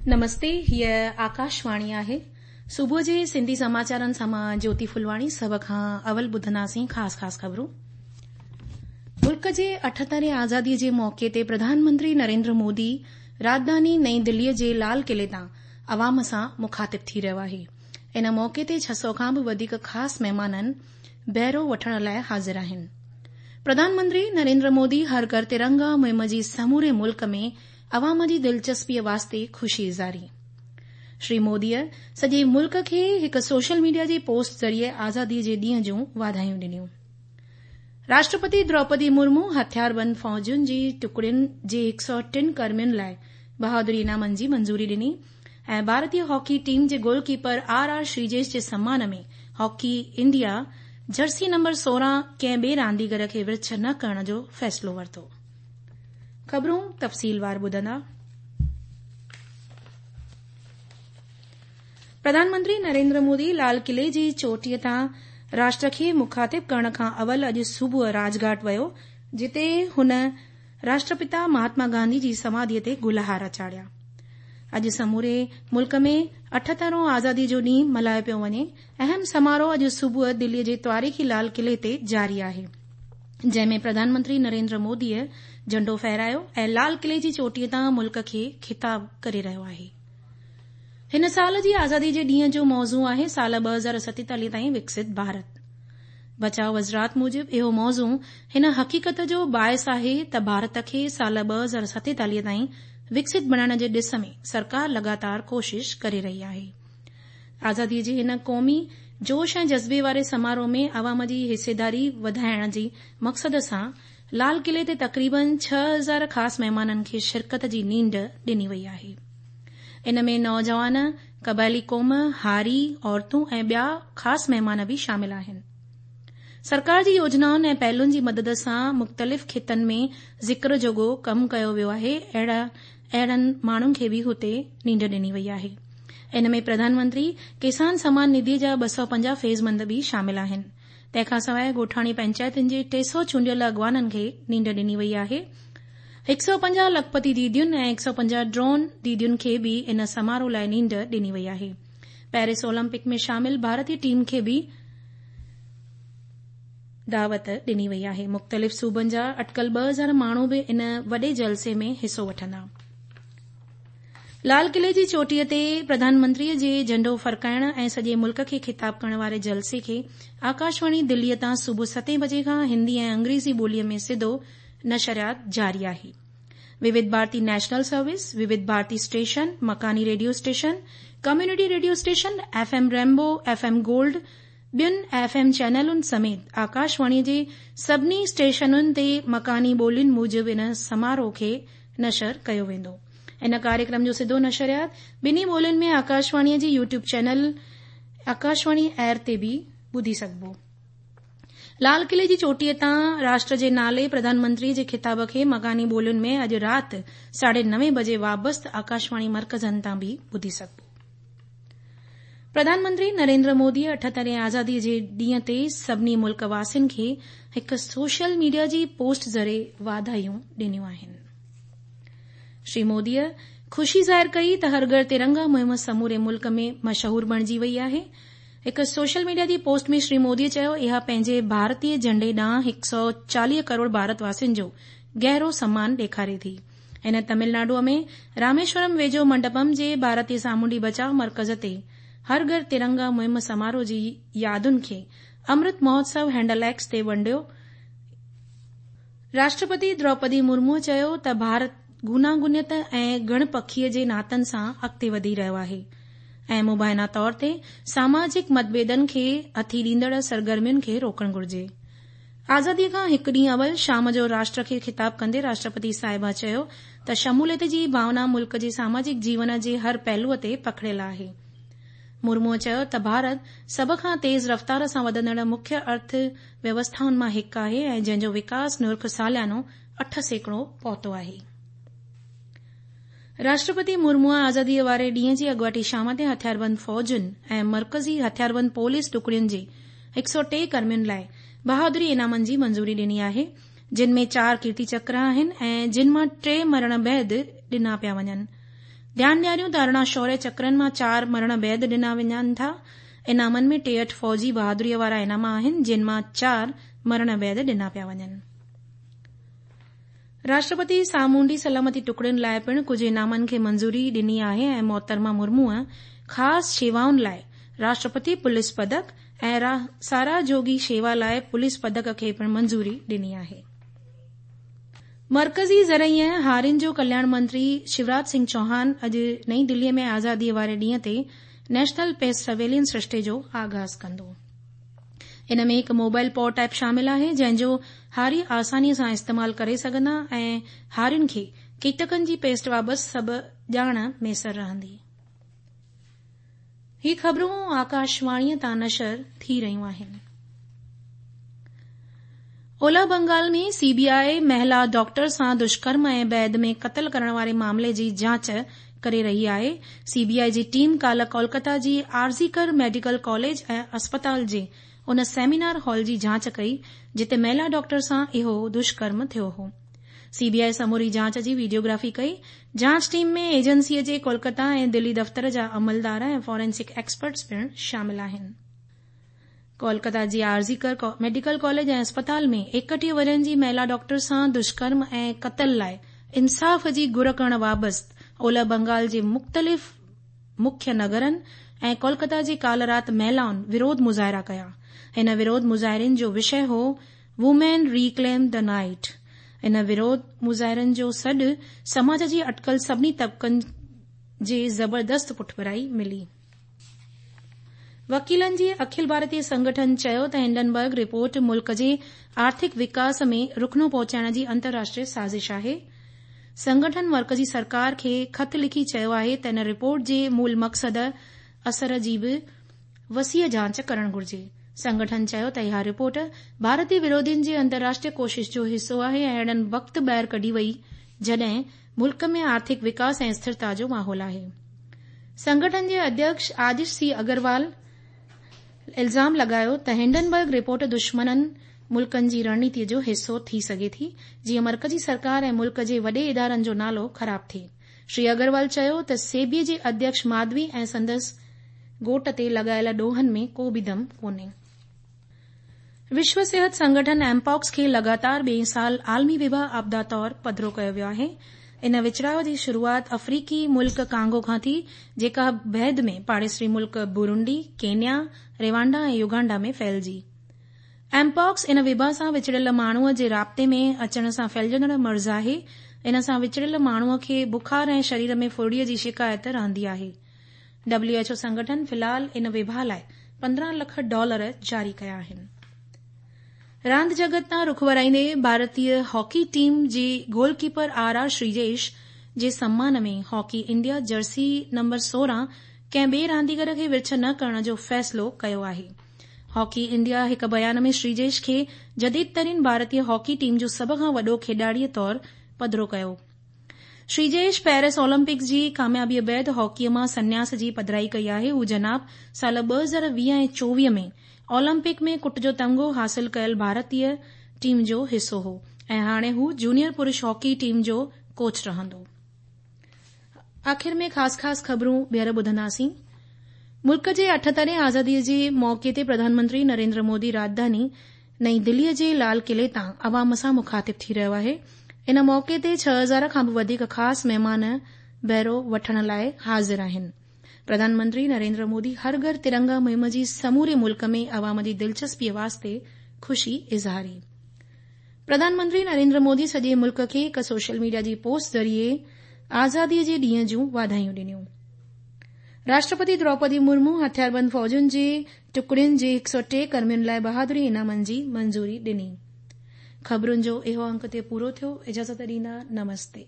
نمستي هيء آڪاشواڻي آهي. صبح جي سنڌي سماچارن سان مان جوتي ڦلواڻي سڀ کان اول ٻڌنداسين خاص خاص خبرون. ملڪ جي اٺهترين آزادي جي موقعي تي پرڌان منتري نريندر مودي راڄڌاني نئين دلي جي لال قلعي تان عوام سان مخاطب ٿي رهيو آهي. ان موقعي تي 600 کان به وڌيڪ خاص مهمانن بهرو وٺڻ لاء حاضر آهن. پرڌان منتري نريندر مودي هر گهر ترنگا مهم جي سموري ملڪ ۾ عوام جي دلچسپيء واسطي خوشي اظهاري. شري موديء سڄي ملڪ کي هڪ سوشل ميڊيا جي پوسٽ ذريعي آزادي جي ڏينهن جون واڌايون ڏنيون. راشٽرپتي دروپدي مرمو هٿياربند فوجن جي ٽڪڙين جي 103 ڪرمين لاء بهادري انعامن جي منظوري ڏني ۽ ڀارتي هاڪي ٽيم جي goal keeper R R Sreejesh جي سمان ۾ هاڪي انڊيا جرسي نمبر 16 ڪنهن ٻئي رانديگر کي ورڇ نه ڪرڻ جو فيصلو ورتو. خبرون تفصيلوار ٻڌندا. پرڌان منتري نريندر مودي لال قلعي جي چوٽيء تان راشٽر کي مخاطب ڪرڻ کان اول اڄ صبح راڄ گهاٽ ويو جتي هن راشٽرپتا مهاتما گانڌي جي سماڌيء تي گل هار چاڙهيا. اڄ سموري ملڪ ۾ اٺهترهون آزادي جو ڏينهن ملهايو پيو وڃي. اهم سماروهه اڄ صبح دليء جي تواريخي لال قلعي تي جاري آهي. جنهن ۾ پرڌان منتري نريندر موديء جهنڊو ڦهرايو ۽ لال قلعي جي چوٽيء تان ملڪ کي خطاب ڪري رهيو آهي. هن سال جي آزادي جي ڏينهن جو موضوع آهي سال 2047 تائين وڪست ڀارت. بچاء وزارت موجب اهو موضوع هن حقيقت جو باعث آهي ته ڀارت کي سال 2047 تائين وڪست بڻائڻ جي ڏس ۾ سرڪار لڳاتار ڪوشش ڪري رهي آهي. آزادي جي هن قومي جوش ۽ جذبي واري سماروهه ۾ عوام جي حصيداري وڌائڻ جي مقصد سان لال قلعي تي تقريبن 6000 خاص مهمانن کي شرڪت جي نينڍ ڏني وئي آهي. ان ۾ نوجوان، قبائلي قوم، هاري، عورتون ۽ ٻيا خاص مهمان به شامل آهن. سرڪار جي يوجنائن ۽ پهلن جي مدد سان مختلف خطن ۾ ذڪر جوڳو ڪم ڪيو ويو آهي اهڙن ماڻهن کي به هتي نينڍ ڏني وئي آهي. ان ۾ پرڌان منتري ڪسان سمان نڌي جا 250 فيضمند به شامل آهن. تنهن کان سواء ڳوٺاڻي پئنچائتن جي 300 چونڊيل اڳواڻن کي نينڍ ڏني وئي آهي. 150 لکپتي ديدين ۽ 150 ڊرون ديدين کي به ان سماروهه لاء نينڍ ڏني وئي آهي. پيرس اولمپڪ ۾ شامل ڀارتي ٽيم کي به دعوت ڏني وئي آهي. مختلف صوبن جا اٽڪل 2000 ماڻهو به ان وڏي جلسي ۾ حصو وٺندا. لال قلعي جي چوٽيء تي پرڌان منتريء جي جهنڊو ڦرڪائڻ ۽ سڄي ملڪ کي خطاب ڪرڻ واري جلسي کي آڪاشواڻي دليء تان صبح ستين بجي کان هندي ۽ انگريزي ٻوليء ۾ سڌو نشريات جاري آهي. ووڌ ڀارتي نيشنل سروس، ووڌ ڀارتي اسٽيشن، مڪاني radio station, community radio station, F M rainbow, F M gold, ٻين ايف ايم چينلن سميت آڪاشواڻيء جي سڀني اسٽيشنن تي مڪاني ٻولين موجب ان سماروهه کي نشر ڪيو ويندو. ان ڪاريڪرم جو سڌو نشريات ٻنهي ٻولين ۾ آڪاشواڻيء جي يوٽيوب چينل آڪاشواڻي ايئر تي به ٻڌي سگهبو. لال قلعي جي چوٽيء تان راشٽر جي نالي پرڌان منتريء جي خطاب کي مڪاني ٻولين ۾ اڄ رات ساڍي نوين بجي وابسته آڪاشواڻي مرڪزن تان به ٻڌي سگهبو. پرڌان منتري نريندر موديء اٺهترين آزاديء جي ڏينهن تي سڀني ملڪ واسين کي هڪ سوشل ميڊيا جي پوسٽ ذريعي واڌايون ڏنيون آهن. شري موديء خوشي ظاهر ڪئي ته هر گهر ترنگا مهم سموري ملڪ ۾ مشهور بڻجي وئي آهي. هڪ سوشل ميڊيا جي پوسٽ ۾ شري موديء چيو اها پنهنجي ڀارتي جهنڊي ڏانهن 140 ڪروڙ ڀارت واسين جو گهرو سمان ڏيکاري ٿي. هن تمل ناڊوء ۾ راميشورم ويجهو منڊپم جي ڀارتي سامونڊي بچاء مرڪز تي هر گهر ترنگا مهم سماروهه جي يادن کي امرت مهوتسو هينڊل ايڪس تي ونڊيو. راشٽرپتي دروپدي مرموء چيو ته ڀارت گوناگونيت ۽ گهڻ پکيء جي ناتن سان اڳتي وڌي رهيو آهي ۽ مبينا طور تي ساماجڪ متڀيدن کي هٿي ڏيندڙ سرگرمين کي روڪڻ گهرجي. آزاديء کان هڪ ڏينهن اول شام جو راشٽر کي خطاب ڪندي راشٽرپتي صاحبه چيو ته شموليت جي ڀاونا ملڪ جي ساماجڪ جيون جي هر پهلوء تي پکڙيل آهي. مرموء چيو ته ڀارت سڀ کان تيز رفتار سان وڌندڙ مکيه ارٿ ويوسٿائن مان هڪ آهي ۽ جنهن جو وڪاس نرخ ساليانو 8% پهتو آهي. راشٽرپتي مرموء آزاديء واري ڏينهن جي اڳواٽي شام تي هٿياربند فوجن ۽ مرڪزي هٿياربند پوليس ٽڪڙين جي 103 ڪرمين لاء بهادري انعامن جي منظوري ڏني آهي، جن ۾ چار ڪيرتي چڪر آهن ۽ جن مان ٽي مرڻ بعد ڏنا پيا وڃن. ڌيان ڏياريون ته 18 شوريه چڪرن مان 4 مرڻ بعد ڏنا وڃن ٿا. انعامن ۾ 63 فوجي بهادريء وارا انعام آهن، جن مان 4 مرڻ بعد ڏنا پيا وڃن. راشٽرپتي سامونڊي سلامتي ٽڪڙين لاء پڻ ڪجهه انعامن کي منظوري ڏني آهي ۽ محترمه مرموء خاص شيوائن لاء راشٽرپتي پوليس پدڪ ۽ ساراهه جوڳي شيوا لاء پوليس پدڪ کي پڻ منظوري ڏني آهي. مرڪزي زرعي ۽ هارين جو ڪلياڻ منتري شيوراج سنگهه چوهان اڄ نئين دهليء ۾ آزاديء واري ڏينهن تي نيشنل پيسٽ سرويلنس سرشتي جو آغاز ڪندو. ان ۾ هڪ موبائل پاٽ ايپ شامل آهي جنهن جو هاري آساني سان استعمال ڪري سگهندا ۽ هارين کي ڪيٽڪن جي پيسٽ بابت سڀ ڄاڻ ميسر رهندي. هي خبرون آڪاشواڻيء تان نشر ٿي رهيون آهن. اولهه بنگال ۾ سي بي آء مهلا ڊاڪٽر سان دشڪرم ۽ بعد ۾ قتل ڪرڻ واري معاملي جي جاچ ڪري رهي آهي. سي بي آء جي ٽيم ڪالهه ڪولڪتا جي آرزي ڪر ميڊيڪل ڪاليج ۽ اسپتال جي ان سيمينار هال جي جاچ ڪئي جتي مهلا ڊاڪٽر سان اهو دشڪرم ٿيو هو. سي بي آء سموري جاچ جي ويڊيوگرافي ڪئي. جاچ ٽيم ۾ ايجنسي جي ڪولڪتا ۽ دلي دفتر جا عملدار ۽ فارينسڪ ايڪسپرٽس پڻ شامل آهن. ڪولڪتا جي آرزي ڪر ميڊيڪل ڪاليج ۽ اسپتال ۾ 31 ورهين جي مهلا ڊاڪٽر سان دشڪرم ۽ قتل لاء انصاف جي گهر ڪرڻ وابست اولهه بنگال جي مختلف مکيه نگرن ۽ ڪولڪتا جي ڪالهه رات مهلائن وروڌ مظاهرا ڪيا. هن وروڌ مظاهرين جو وشيه هو وومين ريڪليم the night. ان وروڌ مظاهرن جو سڏ سماج جي اٽڪل سڀني طبقن جي زبردست پٺڀرائي ملي. وڪيلن جي اکل ڀارتي سنگٺن چيو ته هنڊنبرگ رپورٽ ملڪ جي آرٿڪ وڪاس ۾ رخنو پهچائڻ جي انترراشٽريه سازش آهي. سنگٺن مرڪزي سرڪار کي خط لکي چيو آهي ته ان رپورٽ جي مول مقصد اثر جي به وسيع جاچ ڪرڻ گهرجي. سنگٺن چيو ته اها رپورٽ ڀارتي وروڌين جي انترراشٽريه ڪوشش جو حصو آهي ۽ اهڙن وقت ٻاهر ڪڍي وئي جڏهن ملڪ ۾ آرٿڪ وڪاس ۽ اسٿرتا جو ماحول آهي. سنگٺن جي اڌيڪش آدش سي اگروال الزام لڳايو ته هنڊنبرگ رپورٽ دشمنن ملڪن جي رڻنيتي جو حصو ٿي سگهي ٿي جيئن مرڪزي سرڪار ۽ ملڪ جي وڏي ادارن جو نالو خراب ٿئي. شري اگروال چيو ته سيبي جي اڌيڪش ماڌوي ۽ سندس گهوٽ تي لڳايل ڏوهن ۾ ڪو به دم ڪونهي. وشو صحت سنگٺن ايم پاڪس کي لڳاتار ٻئين سال عالمي وبا آپدا طور پڌرو ڪيو ويو آهي. ان وچڙاء جي شروعات آفريقي ملڪ ڪانگو کان ٿي، جيڪا بعد ۾ پاڙيسري ملڪ بورونڊي، ڪينيا، روانڊا ۽ يوگانڊا ۾ ڦهلجي. ايم پاڪس ان وبا سان وچڙيل ماڻهوء جي رابطي ۾ اچڻ سان ڦهلجندڙ مرض آهي. ان سان وچڙيل ماڻهوء کي بخار ۽ شرير ۾ ڦرڙيء جي شڪايت رهندي آهي. ڊبليو ايڇ او سنگٺن في الحال ان وبا لاء 15 لک ڊالر جاري ڪيا آهن. راند جڳت تان رخ ورائيندي ڀارتي هاڪي ٽيم جي goal keeper R R Sreejesh جي سمان ۾ هاڪي انڊيا جرسي نمبر 16 ڪنهن ٻئي رانديگر کي ورڇ نه ڪرڻ جو فيصلو ڪيو آهي. هاڪي انڊيا هڪ بيان ۾ شريجيش کي جديد ترين ڀارتي هاڪي ٽيم جو سڀ کان وڏو کيڏاڙي طور پڌرو ڪيو. شريجيش پيرس اولمپڪس جي ڪاميابيء بعد هاڪيء مان سنياس جي پڌرائي ڪئي آهي. هو جناب سال 2020 ۽ 24 ۾ اولمپڪ ۾ ڪٽ جو تمغو حاصل ڪيل ڀارتي ٽيم جو حصو هو ۽ هاڻي هو جونيئر پرش هاڪي ٽيم جو ڪوچ رهندو. آخر ۾ خاص خاص خبرون ٻيهر ٻڌنداسين. ملڪ جي 78 آزادي جي موقعي تي پرڌان منتري نريندر مودي راڄڌاني نئين دهليء جي لال قلعي تان عوام سان مخاطب ٿي رهيو آهي. ان موقعي تي 6000 کان به وڌيڪ خاص مهمان بهرو وٺڻ لاء حاضر آهن. پرڌان منتري نريندر مودي هر گهر ترنگا مهم جي سموري ملڪ ۾ عوام جي دلچسپيء واسطي خوشي اظهاري. پرڌان منتري نريندر مودي سڄي ملڪ کي هڪ سوشل ميڊيا جي پوسٽ ذريعي آزاديء جي ڏينهن جون واڌايون ڏنيون. راشٽرپتي دروپدي مرمو هٿياربند فوجن جي ٽڪڙين جي 103 ڪرمين لاء بهادري انعامن جي منظوري ڏني. خبرن جو اهو انڪ اتي پورو ٿيو. اجازت ڏيندا. نمستي.